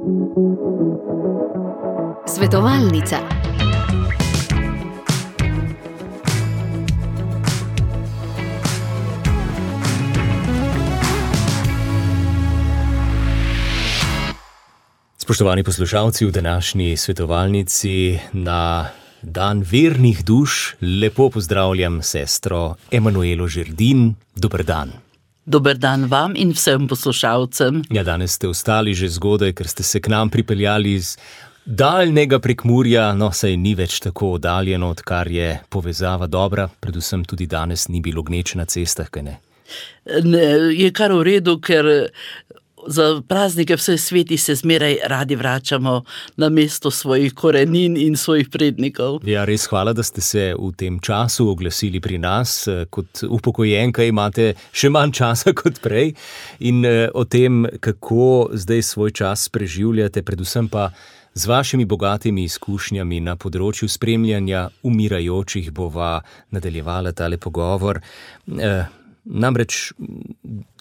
Svetovalnica. Spoštovani poslušalci, v današnji svetovalnici na dan vernih duš lepo pozdravljam sestro Emanuelo Žerdin. Dober dan. Dober dan vam in vsem poslušalcem. Ja, danes ste vstali že zgodaj, ker ste se k nam pripeljali iz daljnega Prekmurja, no, saj ni več tako oddaljeno, odkar je povezava dobra, predvsem tudi danes ni bilo gneče na cestah, kaj ne? Ne, je kar v redu, ker za praznike vse sveti se zmeraj radi vračamo na mesto svojih korenin in svojih prednikov. Ja, res hvala, da ste se v tem času oglasili pri nas. Kot upokojenka imate še manj časa kot prej in o tem, kako zdaj svoj čas preživljate, predvsem pa z vašimi bogatimi izkušnjami na področju spremljanja umirajočih bova nadaljevala tale pogovor. Namreč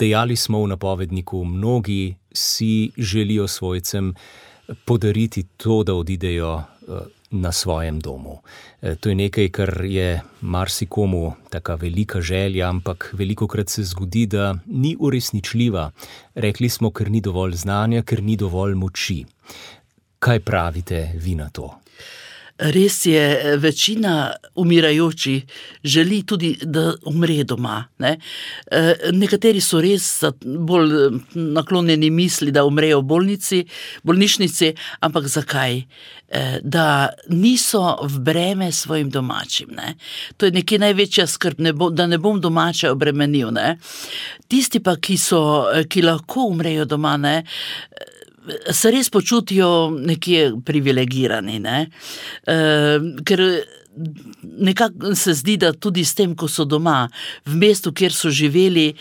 dejali smo v napovedniku, mnogi si želijo svojcem podariti to, da odidejo na svojem domu. To je nekaj, kar je marsikomu taka velika želja, ampak velikokrat se zgodi, da ni uresničljiva. Rekli smo, ker ni dovolj znanja, ker ni dovolj moči. Kaj pravite vi na to? Res je, večina umirajočih želi tudi, da umre doma. Ne? Nekateri so res bolj naklonjeni misli, da umrejo v bolnišnici, ampak zakaj? Da niso v breme svojim domačim. Ne? To je nekje največja skrb, da ne bom domače obremenil. Ne? Tisti pa, ki lahko umrejo doma, ne? Se res počutijo nekje privilegirani, ne? Ker nekako se zdi, da tudi s tem, ko so doma, v mestu, kjer so živeli,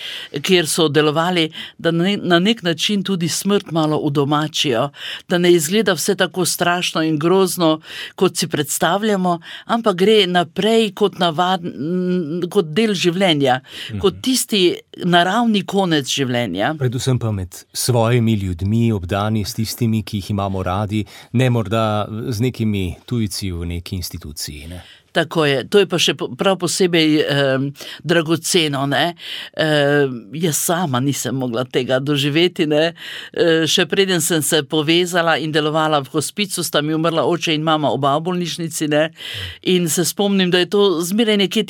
kjer so delovali, da na nek način tudi smrt malo udomačijo, da ne izgleda vse tako strašno in grozno, kot si predstavljamo, ampak gre naprej kot del življenja, kot tisti naravni konec življenja. Predvsem pa med svojimi ljudmi, obdani s tistimi, ki jih imamo radi, ne morda z nekimi tujci v neki instituciji, ne? Tako je, to je pa še prav posebej dragoceno, ne. Jaz sama nisem mogla tega doživeti, ne. Še preden sem se povezala in delovala v hospicu, sta mi umrla oče in mama, oba v bolnišnici, ne. In se spomnim, da je to zmeraj nekje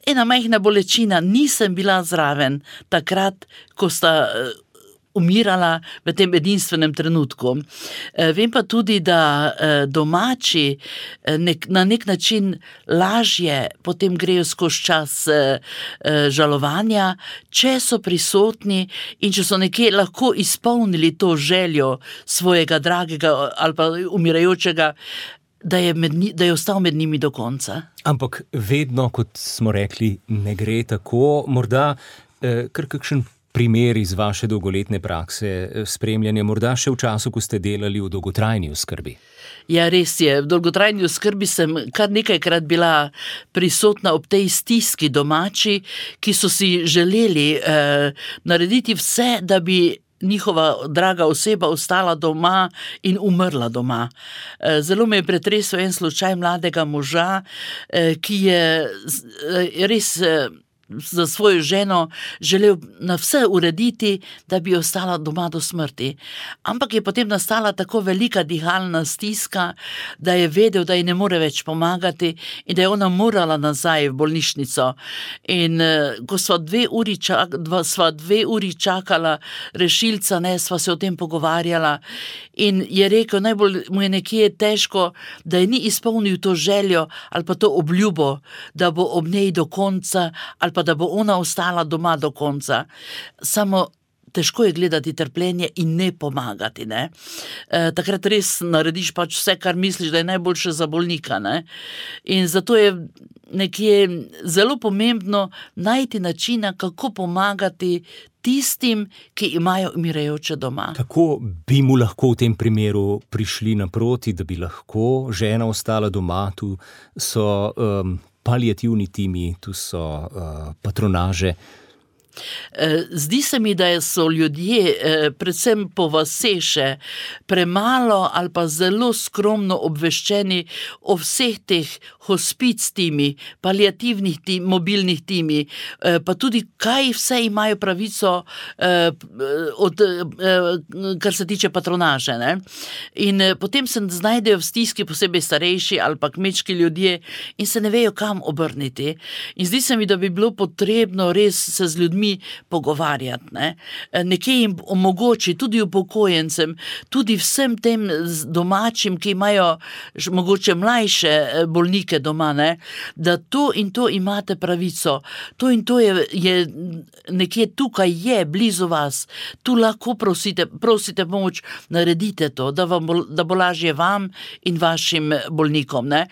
ena majhna bolečina. Nisem bila zraven takrat, ko sta umirala v tem edinstvenem trenutku. Vem pa tudi, da domači na nek način lažje potem grejo skozi čas žalovanja, če so prisotni in če so nekje lahko izpolnili to željo svojega dragega ali pa umirajočega, da je ostal med njimi do konca. Ampak vedno, kot smo rekli, ne gre tako. Morda kar kakšen primer iz vaše dolgoletne prakse spremljanja, morda še v času, ko ste delali v dolgotrajni oskrbi? Ja, res je. V dolgotrajni oskrbi sem kar nekajkrat bila prisotna ob tej stiski domači, ki so si želeli narediti vse, da bi njihova draga oseba ostala doma in umrla doma. Zelo me je pretresel en slučaj mladega moža, ki je res za svojo ženo želel na vse urediti, da bi ostala doma do smrti. Ampak je potem nastala tako velika dihalna stiska, da je vedel, da ji ne more več pomagati in da je ona morala nazaj v bolnišnico. In ko sva 2 uri čakala rešilca, ne, sva se o tem pogovarjala in je rekel, najbolj mu je nekje težko, da je ni izpolnil to željo ali pa to obljubo, da bo ob njej do konca ali pa da bo ona ostala doma do konca. Samo težko je gledati trpljenje in ne pomagati, ne. Takrat res narediš pač vse, kar misliš, da je najboljše za bolnika, ne. In zato je nekje zelo pomembno najti načina, kako pomagati tistim, ki imajo umirajoče doma. Kako bi mu lahko v tem primeru prišli naproti, da bi lahko žena ostala doma? Tu so paliativni timi, tu so patronaže. Zdi se mi, da so ljudje, predvsem po vaseše, premalo ali pa zelo skromno obveščeni o vseh teh hospic timi, paliativnih mobilnih timi, pa tudi kaj vse imajo pravico kar se tiče patronaže. Ne? In potem se znajdejo v stiski posebej starejši ali pa kmečki ljudje in se ne vejo, kam obrniti. In zdi se mi, da bi bilo potrebno res se z ljudmi pogovarjati. Ne? Nekje jim omogoči, tudi upokojencem, tudi vsem tem domačim, ki imajo mogoče mlajše bolnike doma, ne? Da to in to imate pravico, to in to je nekje tukaj je, blizu vas, tu lahko prosite pomoč, naredite to, da bo lažje vam in vašim bolnikom. Ne?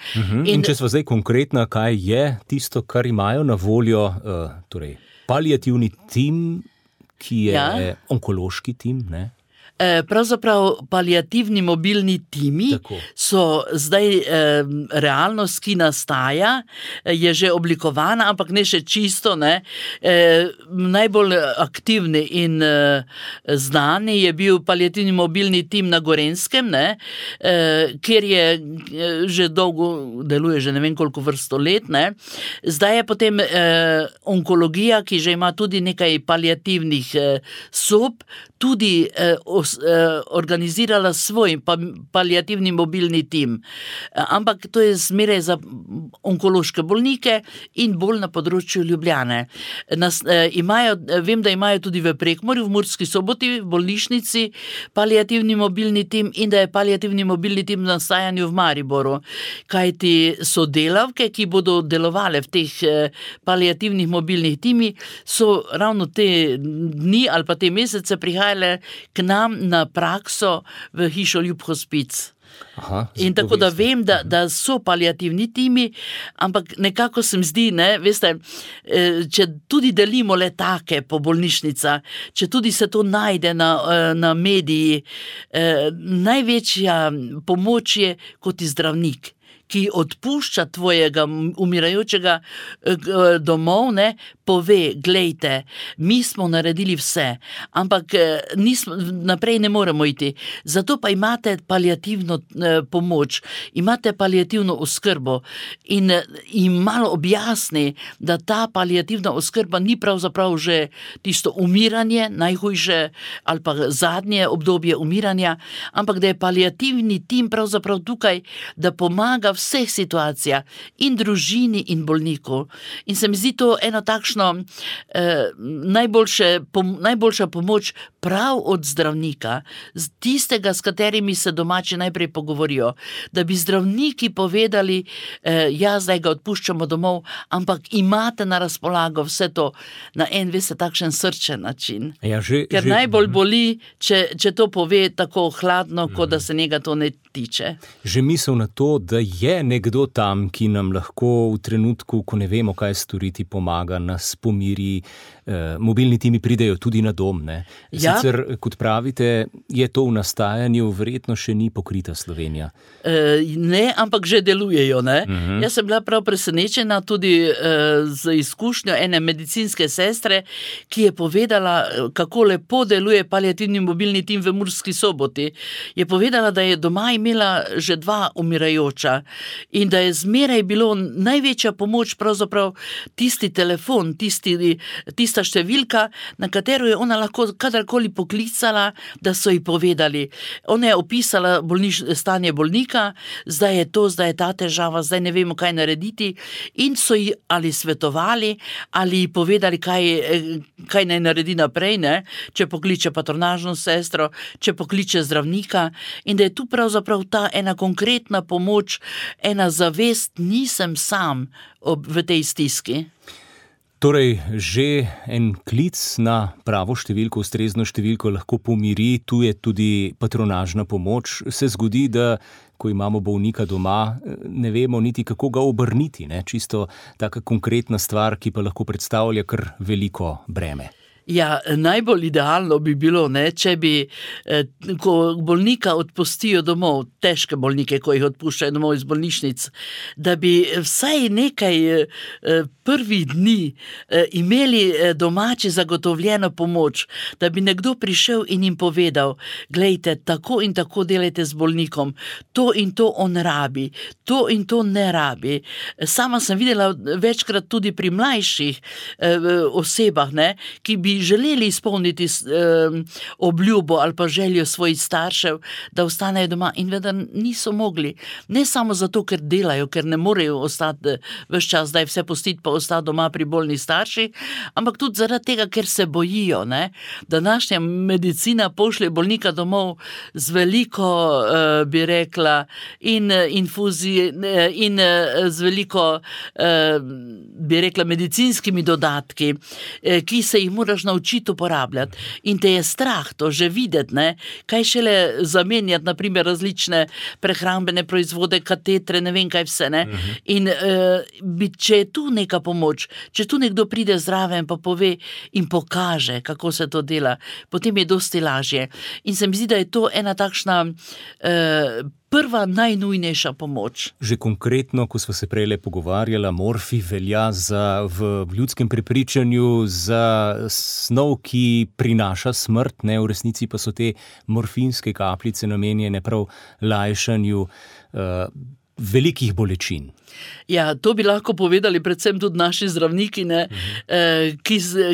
In če smo zdaj konkretna, kaj je tisto, kar imajo na voljo, torej paliativni tim, ki je onkološki tim, ne? Pravzaprav paliativni mobilni timi so zdaj realnost, ki nastaja, je že oblikovana, ampak ne še čisto. Ne. Najbolj aktivni in znani je bil paliativni mobilni tim na Gorenskem, ne, kjer je že dolgo deluje, že ne vem koliko vrsto let. Ne. Zdaj je potem onkologija, ki že ima tudi nekaj paliativnih sob, tudi organizirala svoj paliativni mobilni tim. Ampak to je zmeraj za onkološke bolnike in bolj na področju Ljubljane. Vem, da imajo tudi v Prekmurju, v Murski Soboti, v bolnišnici paliativni mobilni tim in da je paliativni mobilni tim v nastajanju v Mariboru. Kajti sodelavke, ki bodo delovale v teh paliativnih mobilnih timih, so ravno te dni ali pa te mesece prihajale k nam na prakso v hišo Ljub Hospic. In tako da vem, da so paliativni timi, ampak nekako se mi zdi, ne, veste, če tudi delimo letake po bolnišnicah, če tudi se to najde na mediji, največja pomoč je kot zdravnik, ki odpušča tvojega umirajočega domov, ne, pove, glejte, mi smo naredili vse, ampak naprej ne moremo iti. Zato pa imate paliativno pomoč, imate paliativno oskrbo in jim malo objasni, da ta paliativna oskrba ni pravzaprav že tisto umiranje, najhujše ali pa zadnje obdobje umiranja, ampak da je paliativni tim pravzaprav tukaj, da pomaga vseh situacijah in družini in bolniku. In se mi zdi to eno takšno najboljša pomoč prav od zdravnika, tistega, s katerimi se domači najprej pogovorijo, da bi zdravniki povedali, zdaj ga odpuščamo domov, ampak imate na razpolago vse to na en, veste, takšen srčen način. Ker najbolj boli, če to pove tako hladno, kot da se njega to ne tiče. Že misel na to, da je nekdo tam, ki nam lahko v trenutku, ko ne vemo, kaj storiti, pomaga, nas pomiri, mobilni timi pridejo tudi na dom, ne? Sicer, kot pravite, je to v nastajanju, verjetno še ni pokrita Slovenija. Ne, ampak že delujejo, ne? Jaz sem bila prav presenečena tudi z izkušnjo ene medicinske sestre, ki je povedala, kako lepo deluje paliativni mobilni tim v Murski Soboti. Je povedala, da je doma imela že 2 umirajoča in da je zmeraj bilo največja pomoč pravzaprav tisti telefon, tista številka, na katero je ona lahko kadarkoli poklicala, da so ji povedali. Ona je opisala stanje bolnika, zdaj je ta težava, zdaj ne vemo, kaj narediti, in so ji ali svetovali, ali ji povedali, kaj naj naredi naprej, ne? Če pokliče patronažno sestro, če pokliče zdravnika, in da je tu pravzaprav ta ena konkretna pomoč, ena zavest, nisem sam v tej stiski. Torej, že en klic na pravo številko, ustrezno številko lahko pomiri, tu je tudi patronažna pomoč. Se zgodi, da ko imamo bolnika doma, ne vemo niti, kako ga obrniti, ne? Čisto taka konkretna stvar, ki pa lahko predstavlja kar veliko breme. Ja, najbolj idealno bi bilo, ne, če bi, ko bolnika odpustijo domov, težke bolnike, ko jih odpuščajo domov iz bolnišnic, da bi vsaj nekaj prvih dni imeli domači zagotovljeno pomoč, da bi nekdo prišel in jim povedal, glejte, tako in tako delajte z bolnikom, to in to on rabi, to in to ne rabi. Sama sem videla večkrat tudi pri mlajših osebah, ne, ki bi želeli izpolniti obljubo ali pa željo svojih staršev, da ostanejo doma in vendar niso mogli. Ne samo zato, ker delajo, ker ne morejo ostati ves čas, zdaj vse pustiti pa ostati doma pri bolnih starših, ampak tudi zaradi tega, ker se bojijo, ne. Današnja medicina pošlje bolnika domov z veliko, bi rekla, in infuzij, in z veliko, bi rekla, medicinskimi dodatki, ki se jih moraš naučiti uporabljati. In te je strah to že videti, ne, kaj šele zamenjati, na primer, različne prehrambene proizvode, katetre, ne vem kaj vse, ne. In če je tu neka pomoč, če tu nekdo pride zraven pa pove in pokaže, kako se to dela, potem je dosti lažje. In se mi zdi, da je to ena takšna prva najnujnejša pomoč. Že konkretno, ko smo se prejle pogovarjala, morfij velja v ljudskem prepričanju za snov, ki prinaša smrt, ne, v resnici pa so te morfinske kapljice namenjene prav lajšanju velikih bolečin. Ja, to bi lahko povedali predvsem tudi naši zdravniki, ne,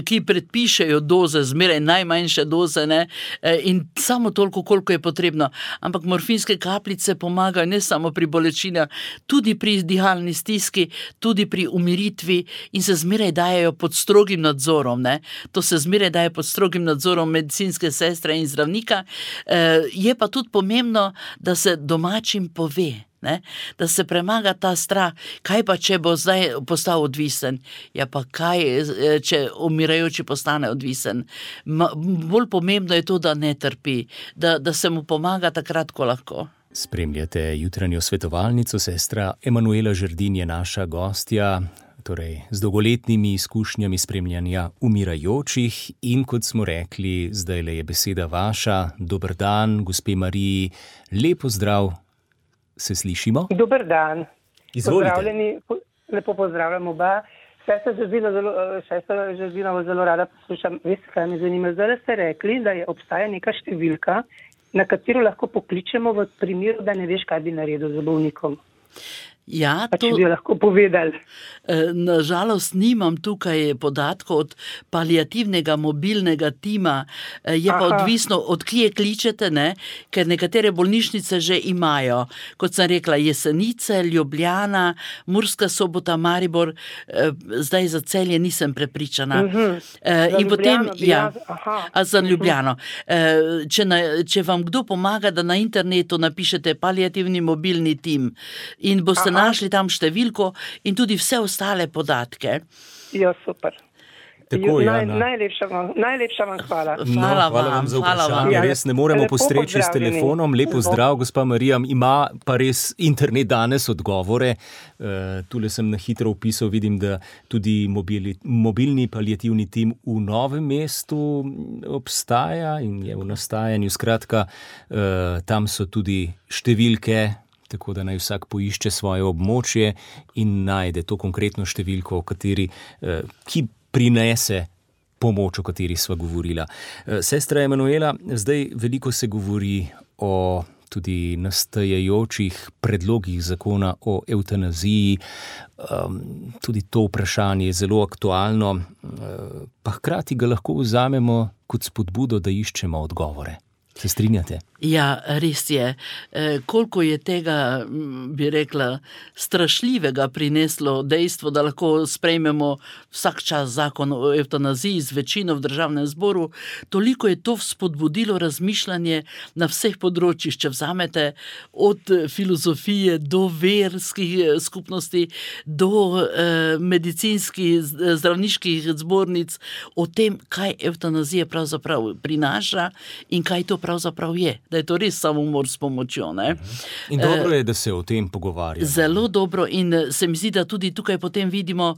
ki predpišejo doze, zmeraj najmanjše doze, ne, in samo toliko, koliko je potrebno. Ampak morfinske kapljice pomagajo ne samo pri bolečinah, tudi pri dihalni stiski, tudi pri umiritvi in se zmeraj dajejo pod strogim nadzorom, ne. To se zmeraj daje pod strogim nadzorom medicinske sestre in zdravnika. Je pa tudi pomembno, da se domačim pove, ne, da se premaga ta strah, kaj pa, če bo zdaj postal odvisen? Ja, pa kaj, če umirajoči postane odvisen? Bolj pomembno je to, da ne trpi, da se mu pomaga takrat, ko lahko. Spremljate jutranjo svetovalnico, sestra Emanuela Žerdin je naša gostja, torej z dolgoletnimi izkušnjami spremljanja umirajočih in kot smo rekli, zdajle je beseda vaša. Dober dan, gospe Mariji, lep pozdrav. Se slišimo? Dober dan. Izvolite. Pozdravljeni, lepo pozdravljam oba. Sestra Žerdina zelo rada poslušam. Veste, kaj me zanima? Zdaj ste rekli, da obstaja neka številka, na katero lahko pokličemo v primeru, da ne veš, kaj bi naredil z bolnikom. Ja, če bi jo lahko povedali. Nažalost nimam tukaj podatkov od paliativnega mobilnega tima, je pa odvisno, od kje kličete, ne, ker nekatere bolnišnice že imajo. Kot sem rekla, Jesenice, Ljubljana, Murska Sobota, Maribor, zdaj za Celje nisem prepričana. In potem, ja, za Ljubljano. Če vam kdo pomaga, da na internetu napišete paliativni mobilni tim in boste našli tam številko in tudi vse ostale podatke. Ja, super. Tako, najlepša vam hvala. Hvala vam za vprašanje. Res ne moremo postreči s telefonom. Lep pozdrav, gospa Marija. Ima pa res internet danes odgovore. Tule sem na hitro vpisal, vidim, da tudi mobilni paliativni tim v Novem mestu obstaja in je v nastajanju. Skratka, tam so tudi številke, tako da naj vsak poišče svoje območje in najde to konkretno številko, ki prinese pomoč, o kateri sva govorila. Sestra Emanuela, zdaj veliko se govori o tudi nastajajočih predlogih zakona o evtanaziji. Tudi to vprašanje je zelo aktualno, pa hkrati ga lahko vzamemo kot spodbudo, da iščemo odgovore. Se strinjate? Ja, res je. Koliko je tega, bi rekla, strašljivega prineslo dejstvo, da lahko sprejmemo vsak čas zakon o evtanaziji z večino v državnem zboru, toliko je to spodbudilo razmišljanje na vseh področjih, če vzamete od filozofije do verskih skupnosti, do medicinskih, zdravniških zbornic, o tem, kaj evtanazija pravzaprav prinaša in kaj to pravzaprav je, da je to res samomor s pomočjo. Ne? In dobro je, da se o tem pogovarjamo. Zelo dobro in se mi zdi, da tudi tukaj potem vidimo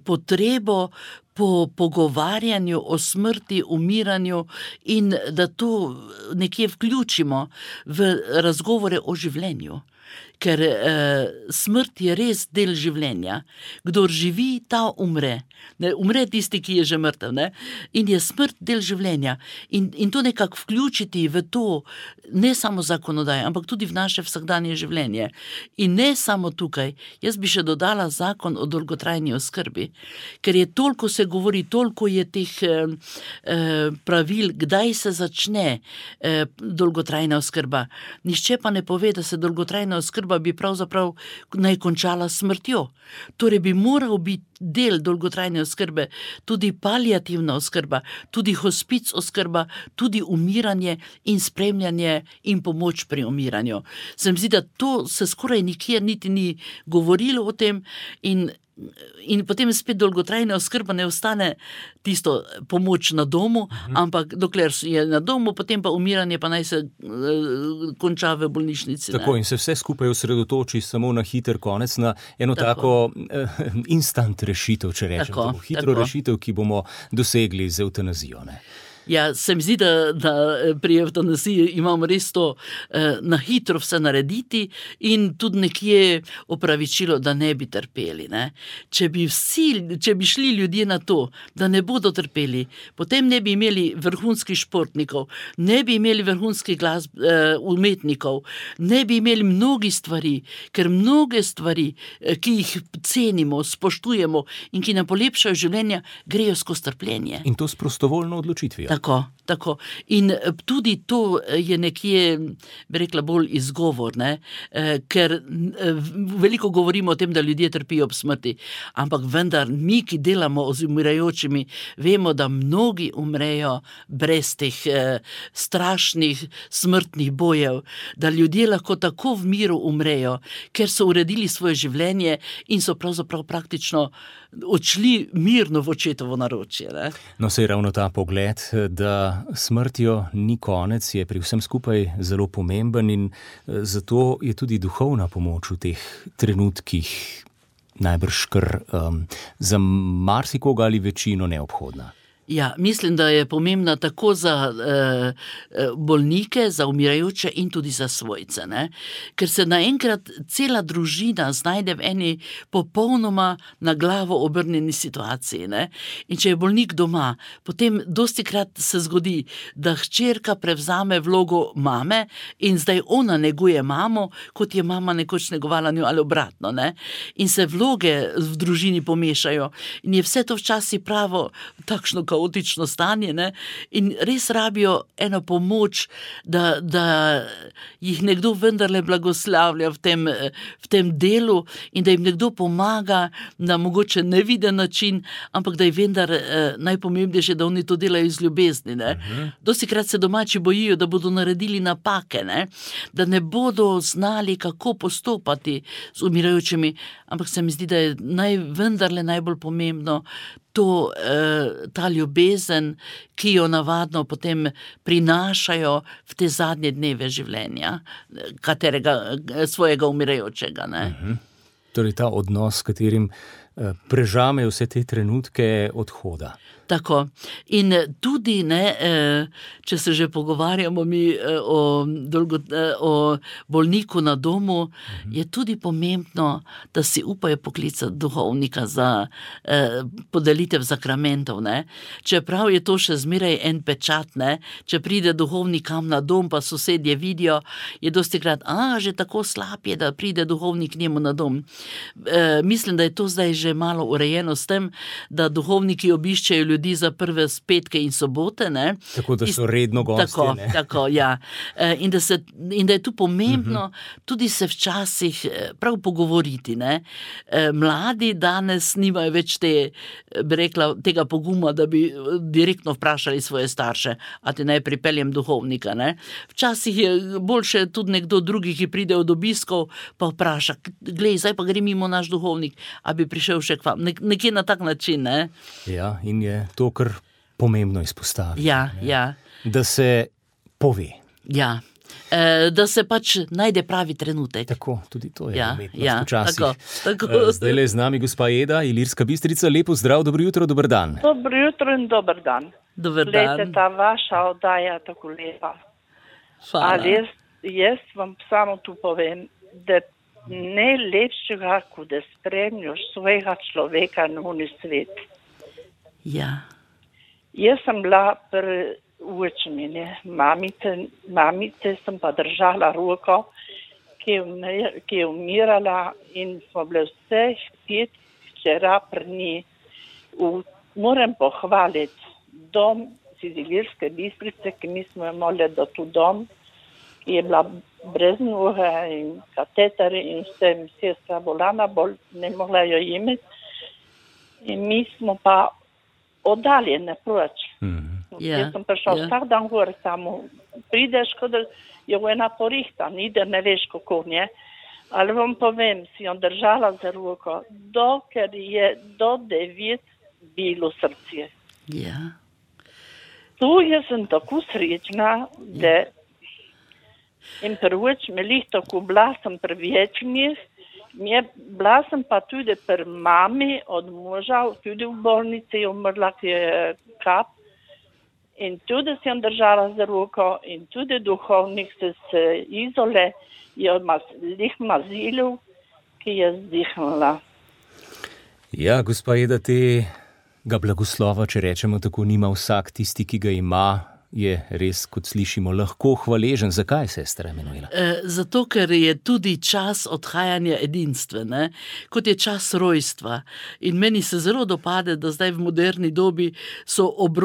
potrebo po pogovarjanju o smrti, umiranju in da to nekje vključimo v razgovore o življenju. Ker smrt je res del življenja. Kdor živi, ta umre. Ne, umre tisti, ki je že mrtev. Ne? In je smrt del življenja. In to nekako vključiti v to, ne samo zakonodaje, ampak tudi v naše vsakdanje življenje. In ne samo tukaj. Jaz bi še dodala zakon o dolgotrajni oskrbi, ker je toliko se govori, toliko je teh pravil, kdaj se začne dolgotrajna oskrba. Nihče pa ne pove, da se dolgotrajna oskrba bi pravzaprav naj končala smrtjo. Torej bi moral biti del dolgotrajne oskrbe tudi paliativna oskrba, tudi hospic oskrba, tudi umiranje in spremljanje in pomoč pri umiranju. Se mi zdi, da to se skoraj nikjer niti ni govorilo o tem in potem spet dolgotrajna oskrba ne ostane tisto pomoč na domu, ampak dokler je na domu, potem pa umiranje pa naj se konča v bolnišnici. Tako, in se vse skupaj osredotoči samo na hiter konec, na eno tako instant rešitev, če rečem. Tako hitro rešitev, ki bomo dosegli z evtanazijo. Ne? Ja, se mi zdi, da pri evtanaziji imamo res to na hitro vse narediti in tudi nekje opravičilo, da ne bi trpeli. Ne? Če bi šli ljudje na to, da ne bodo trpeli, potem ne bi imeli vrhunskih športnikov, ne bi imeli vrhunskih umetnikov, ne bi imeli mnogih stvari, ker mnoge stvari, ki jih cenimo, spoštujemo in ki nam polepšajo življenja, grejo skozi trpljenje. In to s prostovoljno odločitvijo. Tako. In tudi to je nekje, bi rekla, bolj izgovor, ne? Ker veliko govorimo o tem, da ljudje trpijo ob smrti, ampak vendar mi, ki delamo z umirajočimi, vemo, da mnogi umrejo brez teh strašnih smrtnih bojev, da ljudje lahko tako v miru umrejo, ker so uredili svoje življenje in so pravzaprav praktično odšli mirno v očetovo naročje. Ne? No, saj ravno ta pogled, da smrtjo ni konec, je pri vsem skupaj zelo pomemben in zato je tudi duhovna pomoč v teh trenutkih najbrž kar za marsikoga ali večino neobhodna. Ja, mislim, da je pomembna tako za bolnike, za umirajoče in tudi za svojce. Ne? Ker se naenkrat cela družina znajde v eni popolnoma na glavo obrnjeni situaciji. Ne? In če je bolnik doma, potem dostikrat se zgodi, da hčerka prevzame vlogo mame in zdaj ona neguje mamo, kot je mama nekoč negovala njo ali obratno. Ne? In se vloge v družini pomešajo in je vse to včasih pravo takšno kaotično stanje, ne? In res rabijo eno pomoč, da jih nekdo vendarle blagoslavlja v tem delu in da jim nekdo pomaga na mogoče neviden način, ampak da je vendar najpomembnejše, da oni to delajo iz ljubezni. Ne? Dostikrat se domači bojijo, da bodo naredili napake, ne? Da ne bodo znali, kako postopati z umirajočimi, ampak se mi zdi, da je vendarle najbolj pomembno ta ljubezen, ki jo navadno potem prinašajo v te zadnje dneve življenja, svojega umirajočega. Ne? Torej ta odnos, s katerim prežamejo vse te trenutke odhoda. Tako. In tudi, če se že pogovarjamo mi o bolniku na domu, je tudi pomembno, da si upajo poklicati duhovnika za podelitev sakramentov. Ne? Čeprav je to še zmeraj en pečat, ne? Če pride duhovnik kam na dom, pa sosedje vidijo, je dostikrat, že tako slab je, da pride duhovnik njemu na dom. Mislim, da je to zdaj že malo urejeno s tem, da duhovniki obiščejo ljudi za prve petke in sobote. Ne? Tako, da so redno gostje. Tako, ja. In da je tu pomembno tudi se včasih prav pogovoriti. Ne? Mladi danes nimajo več tega poguma, da bi direktno vprašali svoje starše, a ti naj pripeljem duhovnika. Ne? Včasih je boljše tudi nekdo drugi, ki pride od obiskov, pa vpraša, glej, zdaj pa gre mimo naš duhovnik, a bi prišel še k vam. Nekje na tak način. Ne? Ja, in je to kar pomembno izpostaviti. Ja. Da se pove. Ja. Da se pač najde pravi trenutek. Tako, tudi to je umetnost ja, včasih. tako. Zdajle je z nami gospa Eda, Ilirska Bistrica. Lepo zdrav, dobro jutro, dober dan. Dobro jutro in dober dan. Dober Glejte, dan. ta vaša oddaja je tako lepa. Hvala. Ali jaz vam samo tu povem, da ne lepšega, kot da spremljaš svojega človeka na uni svet. Ja. Jaz sem bila pri učenju, mamice sem pa držala roko, ki je umirala in smo bile vseh 5 včera pri njej. Moram pohvaliti dom Ilirske Bistrice, ki mi smo imeli do tu dom, ki je bila brez noge in kateteri in vse, sestra bolana, ne mogla jo imeti. In mi smo pa oddaljene proč. Jaz sem prišel vsak dan gor, samo prideš, kot da je ena porihta, ni da ne veš, kako nje. Ali vam povem, si jo držala za roko, dokler je do 9 bilo srce. Ja. Tu jaz sem tako srečna, da in prvič me lih tako bila sem pri večnih, bila sem pa tudi pri mami od moža, tudi v bolnici je umrla, ki je kap. In tudi si jim držala za roko in tudi duhovnik se izole je lih mazilil, ki je zdihnila. Ja, gospa Eda, tega blagoslova, če rečemo tako, nima vsak, tisti, ki ga ima, je res, kot slišimo, lahko hvaležen. Zakaj, sestra Emanuela? Zato, ker je tudi čas odhajanja edinstven, kot je čas rojstva. In meni se zelo dopade, da zdaj v moderni dobi so ob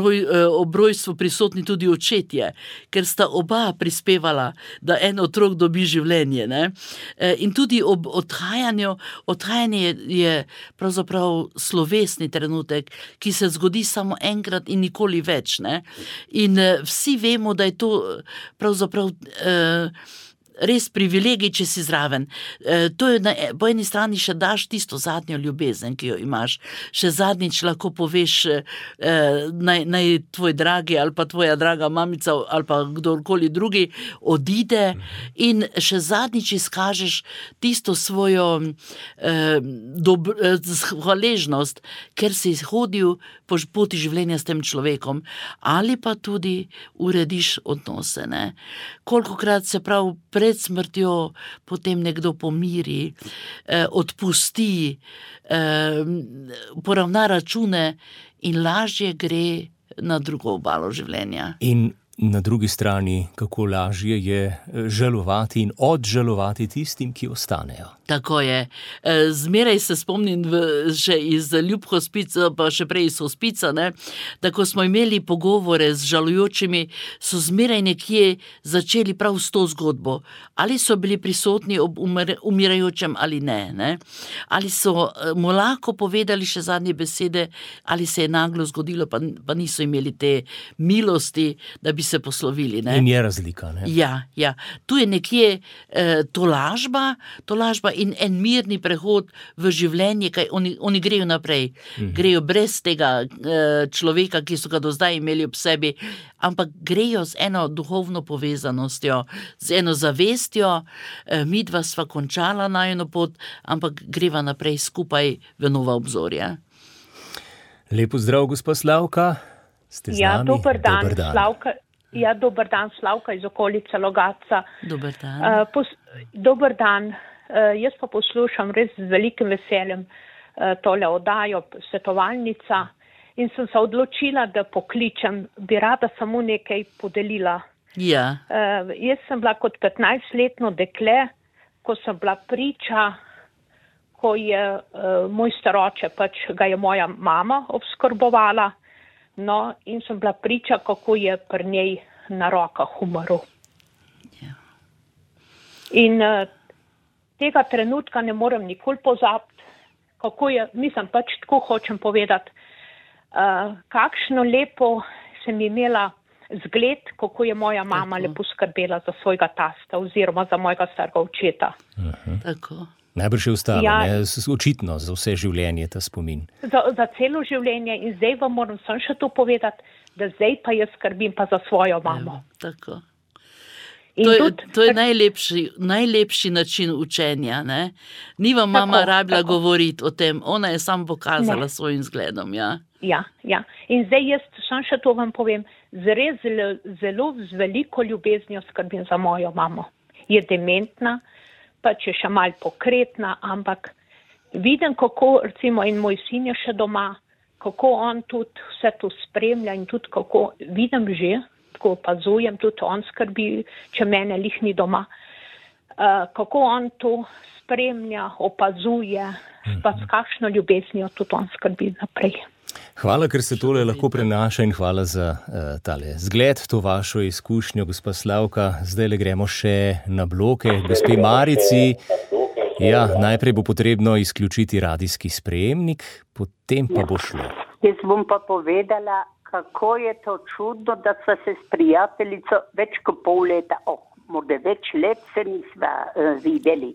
rojstvu prisotni tudi očetje, ker sta oba prispevala, da en otrok dobi življenje. Ne? In tudi ob odhajanje je pravzaprav slovesni trenutek, ki se zgodi samo enkrat in nikoli več. Ne? In vsi vemo, da je to pravzaprav res privilegij, če si zraven. To je po eni strani še daš tisto zadnjo ljubezen, ki jo imaš. Še zadnjič lahko poveš, naj tvoj dragi ali pa tvoja draga mamica ali pa kdorkoli drugi odide in še zadnjič izkažeš tisto svojo hvaležnost, ker si hodil po poti življenja s tem človekom ali pa tudi urediš odnose. Ne? Kolikokrat se prav pred smrtjo potem nekdo pomiri, odpusti, poravna račune in lažje gre na drugo obalo življenja. In na drugi strani, kako lažje je žalovati in odžalovati tistim, ki ostanejo. Tako je. Zmeraj se spomnim še iz Ljub hospica, pa še prej iz hospica, da ko smo imeli pogovore z žalujočimi, so zmeraj nekje začeli prav s to zgodbo. Ali so bili prisotni ob umirajočem ali ne. Ali so mu lahko povedali še zadnje besede, ali se je naglo zgodilo, pa niso imeli te milosti, da bi se poslovili. Ne? In je razlika. Ne? Ja. Tu je nekje tolažba in en mirni prehod v življenje, kaj oni grejo naprej. Grejo brez tega človeka, ki so ga do zdaj imeli ob sebi, ampak grejo z eno duhovno povezanostjo, z eno zavestjo, midva sva končala najino pot, ampak greva naprej skupaj v nova obzorja. Lepo zdrav, gospa Slavka. Ste z nami? Dober dan. Slavka. Dober dan, Slavka iz okolice Logatca. Dober dan. Dober dan. Jaz pa poslušam res z velikim veseljem tole oddajo, svetovalnica, in sem se odločila, da pokličem, bi rada samo nekaj podelila. Ja. Jaz sem bila kot 15-letno dekle, ko sem bila priča, ko je moj staroče, pač ga je moja mama obskrbovala, in sem bila priča, kako je pri njej na rokah umrl. Ja. In tega trenutka ne morem nikoli pozabiti, kako je, mislim, pač tako hočem povedati, kakšno lepo sem imela zgled, kako je moja mama lepo skrbela za svojega tasta oziroma za mojega starega očeta. Tako. Najbrž je ostalo, očitno za vse življenje ta spomin. Za celo življenje in zdaj vam moram samo še to povedati, da zdaj pa jaz skrbim pa za svojo mamo. Tako. To je najlepši način učenja. Ne? Ni vam mama rabila govoriti o tem, ona je samo pokazala svojim zgledom. Ja. Ja. In zdaj jaz sam še to vam povem, zelo z veliko ljubeznijo skrbim za mojo mamo. Je dementna, pač je še malo pokretna, ampak vidim, kako, recimo, in moj sin je še doma, kako on tudi vse to spremlja in tudi kako vidim že, tako opazujem, tudi on skrbi, če mene lih ni doma, kako on to spremlja, opazuje, pa s kakšno ljubeznijo tudi on skrbi naprej. Hvala, ker se tole lahko prenaša in hvala za tale zgled, to vašo izkušnjo, gospa Slavka. Zdaj le gremo še na bloke. Gospe Marici, ja, najprej bo potrebno izključiti radijski sprejemnik, potem pa bo šlo. Jaz bom pa povedala, kako je to čudno, da sva se s prijateljico več kot pol leta, morda več let se nisva videli.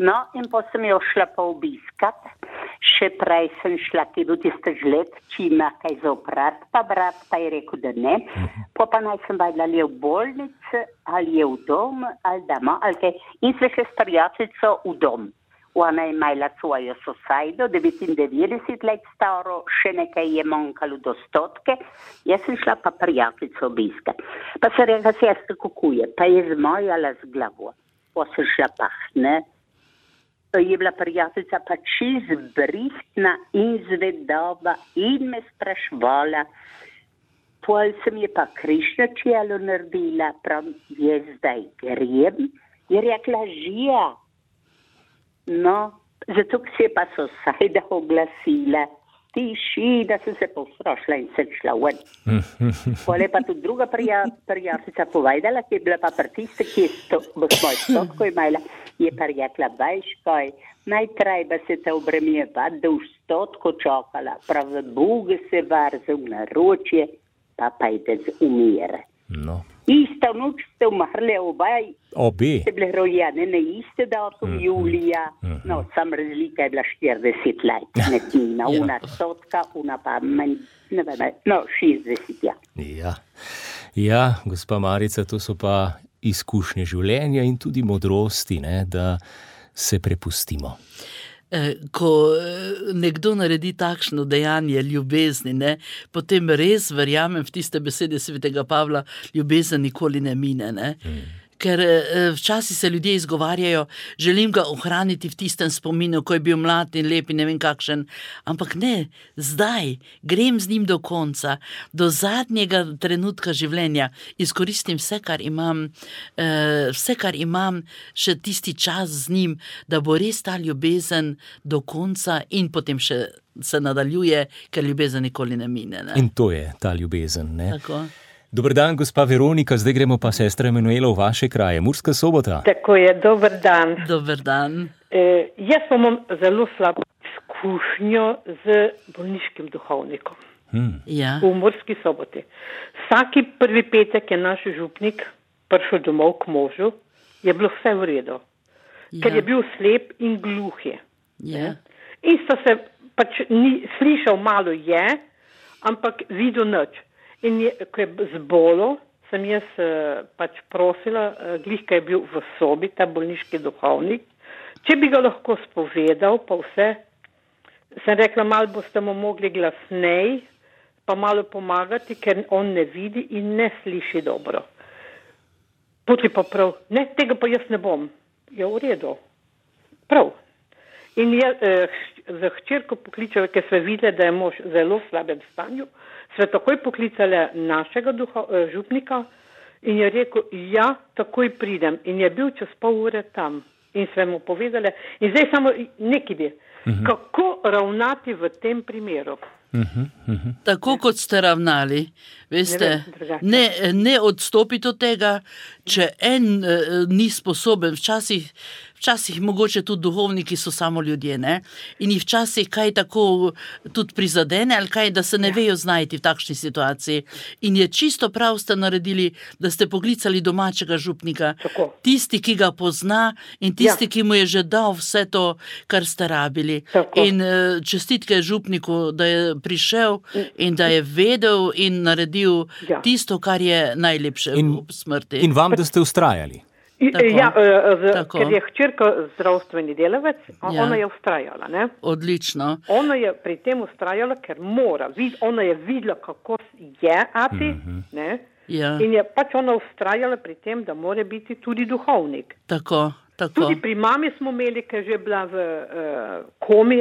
No, in pa sem jo šla pa obiskat, še prej sem šla, ki je bil tiste žled, če ima kaj za oprat, pa brat pa je rekel, da ne. Pa naj sem vedela, ali je v bolnici, ali je v dom, ali doma, ali kaj. In sve še s prijateljico v dom. Ona je imela svojo sosajdo, 99 let staro, še nekaj je manjkalo do 100. Jaz sem šla pa prijateljico obiskat. Pa sem rekla, sestra, kako je, pa je zmajala z glavo. Pa sem šla pa, ne. Je bila prijateljica pa čisto brihtna in zvedova in me sprašvala. Pol sem je pa križno čelo naredila, prav je zdaj grem. Je rekla, žija. No, zato se je pa sosajda oglasila. Tišina, sem se postrošila in sem šla ven. Pol je pa tudi druga prijateljica povedala, ki je bila pa prtiste, ki je svoj stotko imela, je pa rekla, veš kaj, najtrajba se te obremjevati, da v stotko čakala, prav Boga se varza v naročje, pa ide z umire. No. Ista noč ste umrli Obe. Ste bile rojene na iste datum julija, no, sam razlika je bila 40 let, nekina, una stotka, una pa manj, ne vem, no, 60, ja. Ja, gospa Marica, to so pa izkušnje življenja in tudi modrosti, ne, da se prepustimo. Ko nekdo naredi takšno dejanje ljubezni, ne, potem res verjamem v tiste besede svetega Pavla, ljubezen nikoli ne mine. Ne. Ker včasih se ljudje izgovarjajo, želim ga ohraniti v tistem spominu, ko je bil mlad in lep in ne vem kakšen, ampak ne, zdaj grem z njim do konca, do zadnjega trenutka življenja, izkoristim vse, kar imam, še tisti čas z njim, da bo res ta ljubezen do konca in potem še se nadaljuje, ker ljubezen nikoli ne mine. Ne? In to je ta ljubezen, ne? Tako. Dober dan, gospa Veronika, zdaj gremo pa sestra Emanuela v vaše kraje, Murska Sobota. Tako je, dober dan. Dober dan. Jaz imam zelo slabo izkušnjo z bolniškim duhovnikom v Murski Soboti. Vsaki prvi petek je naš župnik prišel domov k možu, je bilo vse v redu, ker je bil slep in gluh je. In so se pač slišal malo je, ampak videl nič. In ko je zbolo, sem jaz pač prosila, glih, ko je bil v sobi, ta bolniški duhovnik, če bi ga lahko spovedal, pa vse, sem rekla, malo boste mu mogli glasnej, pa malo pomagati, ker on ne vidi in ne sliši dobro. Poti pa prav, ne, tega pa jaz ne bom. Je v redu. Prav. In je za hčerko pokličala, ker sve videla, da je mož v zelo slabem stanju, sve takoj poklicala našega župnika in je rekel, ja, takoj pridem. In je bil čez pol ure tam. In sve mu povedala, in zdaj samo nekaj bi, kako ravnati v tem primeru. Tako kot ste ravnali, veste, ne odstopiti od tega, če en ni sposoben, včasih mogoče tudi duhovniki so samo ljudje, ne? In jih včasih kaj tako tudi prizadene, ali kaj, da se ne vejo znajti v takšni situaciji. In je čisto prav ste naredili, da ste poklicali domačega župnika, tisti, ki ga pozna in tisti, ki mu je že dal vse to, kar ste rabili. In čestitke župniku, da je prišel in da je vedel in naredil tisto, kar je najlepše v smrti. In vam, da ste ustrajali. Ker je hčerka zdravstveni delavec, ona je ustrajala. Ne? Odlično. Ona je pri tem ustrajala, ker mora. Ona je videla, kako je ati, ne? In je pač ona ustrajala pri tem, da mora biti tudi duhovnik. Tako. Tudi pri mami smo imeli, ker je bila v komi,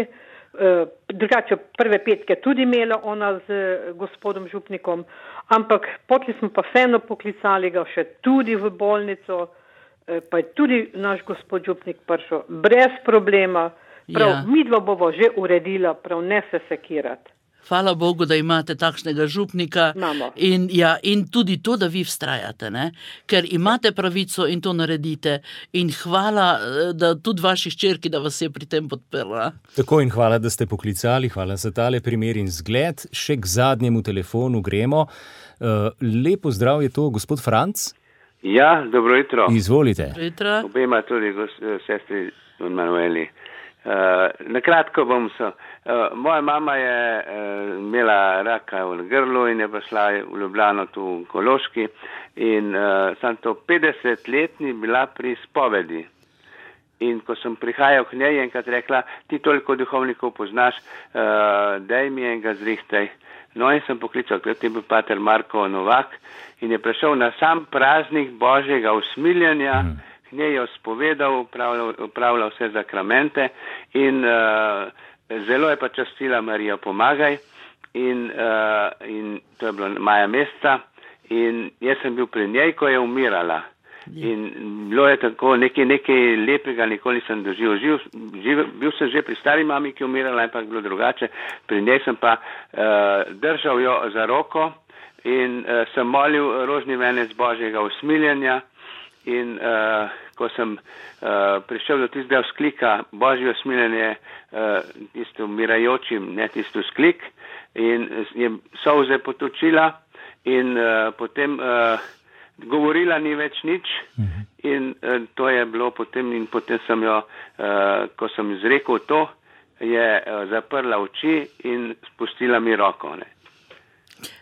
drugače prve petke tudi imela ona z gospodom župnikom, ampak potem smo pa vseeno poklicali ga še tudi v bolnico, pa je tudi naš gospod župnik prišel brez problema, midva bova že uredila, prav ne se sekirati. Hvala Bogu, da imate takšnega župnika in tudi to, da vi vztrajate, ne? Ker imate pravico in to naredite in hvala, da tudi vaši hčerki, da vas je pri tem podprla. Tako in hvala, da ste poklicali, hvala za tale primer in zgled. Še k zadnjemu telefonu gremo. Lepo zdrav je to, gospod Franc. Ja, dobro jutro. Izvolite. Obema tudi sestri Manueli. Nakratko bom se. Moja mama je imela raka v grlu in je prišla v Ljubljano tu v Kološki in sem to 50-letni bila pri spovedi. In ko sem prihajal k njej, enkrat rekla, ti toliko duhovnikov poznaš, daj mi enega zrihtaj. No in sem poklical, ker je bil pater Marko Novak in je prišel na sam praznik Božjega usmiljenja, k njej je spovedal, upravljal vse zakramente in zelo je pa častila Marija Pomagaj in to je bilo maja meseca in jaz sem bil pri njej, ko je umirala. In bilo je tako nekaj lepega, nikoli nisem doživel. Bil sem že pri stari mami, ki je umirala, ampak bilo drugače. Pri njej sem pa držal jo za roko in sem molil rožni venec Božjega usmiljenja in ko sem prišel do tistega vzklika Božje usmiljenje tisto umirajočim, ne tisto vzklik in je solze potočila in potem govorila ni več nič in to je bilo potem in potem sem jo, ko sem izrekel to, je zaprla oči in spustila mi roko. Ne.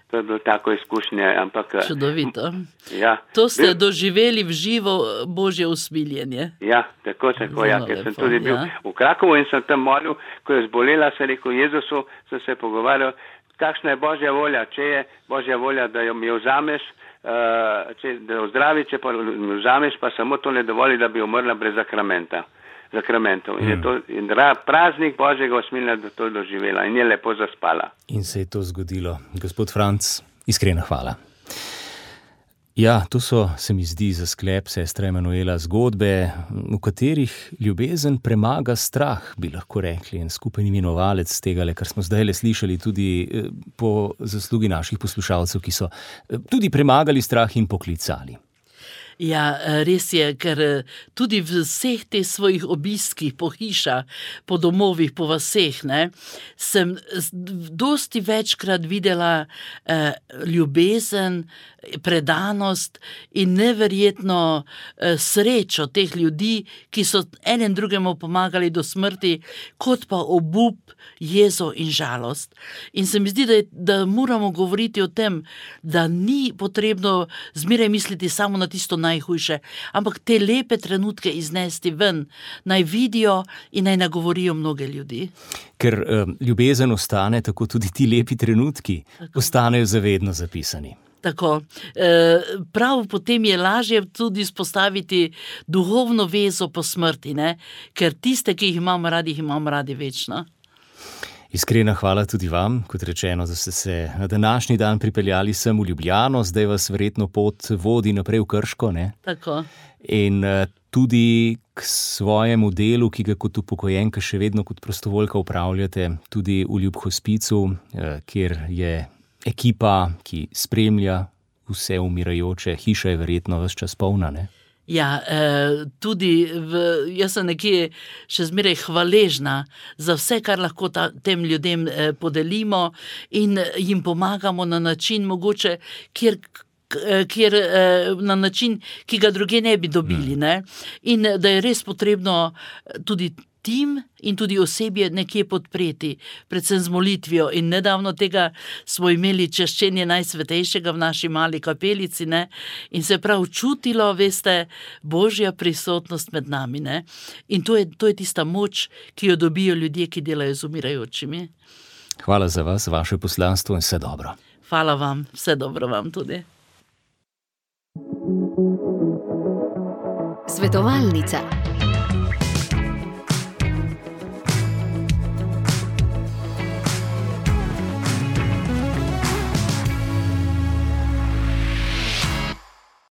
To je bilo tako izkušnje, ampak... Čudovito. Ja. To ste doživeli v živo Božje usmiljenje. Ja, tako, ja, ker sem tudi bil v Krakovu in sem tam molil, ko je zbolela, sem rekel Jezusu, sem se pogovarjal, kakšna je Božja volja, če je Božja volja, da jo mi vzameš, da jo zdravi, če pa mi vzameš, pa samo to ne dovoli, da bi umrla brez zakramentov. In je to praznik Božjega usmiljenja, da to doživela in je lepo zaspala. In se je to zgodilo. Gospod Franc, iskrena hvala. Ja, to so, se mi zdi, za sklep sestra Emanuela zgodbe, v katerih ljubezen premaga strah, bi lahko rekli, en skupen imenovalec tegale, kar smo zdaj slišali tudi po zaslugi naših poslušalcev, ki so tudi premagali strah in poklicali. Ja, res je, ker tudi v vseh teh svojih obiskih po hišah, po domovih, po vaseh, ne, sem dosti večkrat videla ljubezen, predanost in neverjetno srečo teh ljudi, ki so enem drugemu pomagali do smrti, kot pa obup, jezo in žalost. In se mi zdi, da moramo govoriti o tem, da ni potrebno zmeraj misliti samo na tisto najhujše, ampak te lepe trenutke iznesti ven, naj vidijo in naj nagovorijo mnoge ljudi. Ker ljubezen ostane, tako tudi ti lepi trenutki ostanejo zavedno zapisani. Tako. Prav potem je lažje tudi spostaviti duhovno vezo po smrti, ne? Ker tiste, ki jih imamo radi večno. Iskrena hvala tudi vam, kot rečeno, da ste se na današnji dan pripeljali sem v Ljubljano, zdaj vas verjetno pot vodi naprej v Krško, ne? Tako. In tudi k svojemu delu, ki ga kot upokojenka še vedno kot prostovoljka upravljate, tudi v Ljub hospicu, kjer je ekipa, ki spremlja vse umirajoče, hiša je verjetno ves čas polna, ne? Ja, tudi jaz sem nekje še zmeraj hvaležna za vse, kar lahko tem ljudem podelimo in jim pomagamo na način mogoče, kjer na način, ki ga druge ne bi dobili, ne? In da je res potrebno tudi tim in tudi osebje nekje podpreti, predvsem z molitvijo. In nedavno tega smo imeli čaščenje Najsvetejšega v naši mali kapelici, ne? In se prav čutilo, veste, Božja prisotnost med nami. Ne? In to je tista moč, ki jo dobijo ljudje, ki delajo z umirajočimi. Hvala za vas, vaše poslanstvo in vse dobro. Hvala vam, vse dobro vam tudi. Svetovalnica.